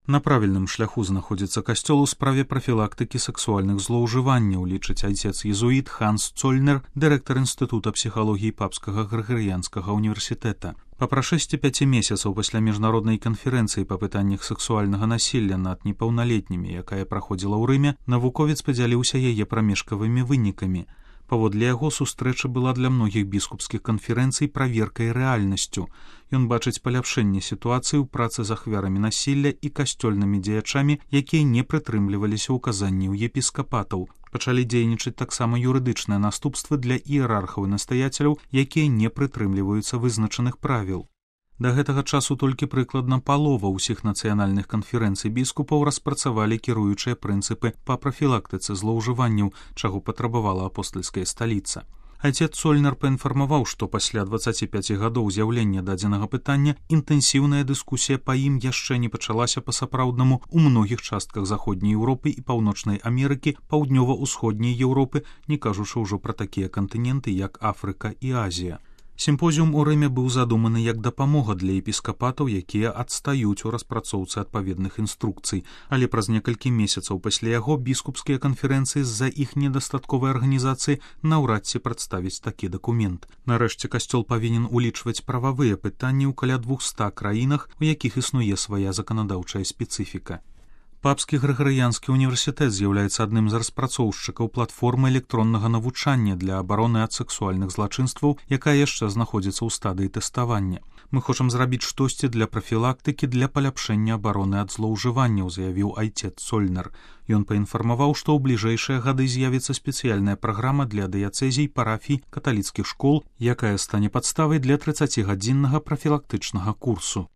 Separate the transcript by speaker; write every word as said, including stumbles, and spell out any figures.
Speaker 1: На правільным шляху знаходзіцца касцёл у справе прафілактыкі сексуальных злоўжыванняў, лічыць айцец-езуіт Ханс Цольнер, дырэктар інстытута псіхалогіі папскага грыгарыянскага універсітэта. Па прашэсці пяці месяцаў пасля міжнароднай канферэнцыі па пытаннях сексуальнага насілля над непаўналетнімі, якая праходзіла ў Рыме, навуковец падзяліўся яе прамежкавымі вынікамі. Паводле яго, сустрэча была для многіх біскупскіх канферэнцый праверкай рэальнасцю. Ён бачыць паляпшэнне сітуацыі ў працы з ахвярамі насілля і касцёльнымі дзеячамі, якія не прытрымліваліся ўказанняў епіскапатаў. Пачалі дзейнічаць таксама юрыдычныя наступствы для іерархаў і настаяцеляў, якія не прытрымліваюцца вызначаных правіл. Да гэтага часу толькі прыкладна палова ўсіх нацыянальных канферэнцый біскупаў распрацавалі кіруючыя прынцыпы па прафілактыцы злоўжыванняў, чаго патрабавала апостальская сталіца. Айцец Цольнер паінфармаваў, што пасля дваццаці пяці гадоў з'яўлення дадзенага пытання інтэнсіўная дыскусія па ім яшчэ не пачалася па-сапраўднаму ў многіх частках заходняй Еўропы і паўночнай Амерыкі, паўднёва-ўсходняй Еўропы, не кажучы ўжо пра такія кантыненты, як Афрыка і Азія. Сімпозіум у Рыме быў задуманы як дапамога для епіскапатаў, якія адстаюць у распрацоўцы адпаведных інструкцый, але праз некалькі месяцаў пасля яго біскупскія канферэнцыі з-за іх недастатковай арганізацыі наўрад ці прадставіць такі дакумент. Нарэшце касцёл павінен улічваць прававыя пытанні ў каля двухста краінах, у якіх існуе свая заканадаўчая спецыфіка. Папскі грыгарыянскі універсітэт з'яўляецца адным з распрацоўшчыкаў платформы электроннага навучання для абароны ад сексуальных злачынстваў, якая яшчэ знаходзіцца ў стадыі тэставання. Мы хочам зрабіць штосьці для прафілактыкі для паляпшэння абароны ад злоўжыванняў, заявіў айцец Цольнер. Ён паінфармаваў, што ў бліжэйшыя гады з'явіцца спецыяльная праграма для дыяцэзій, парафій, каталіцкіх школ, якая стане падставай для трыццацігадзіннага прафілактычнага курсу.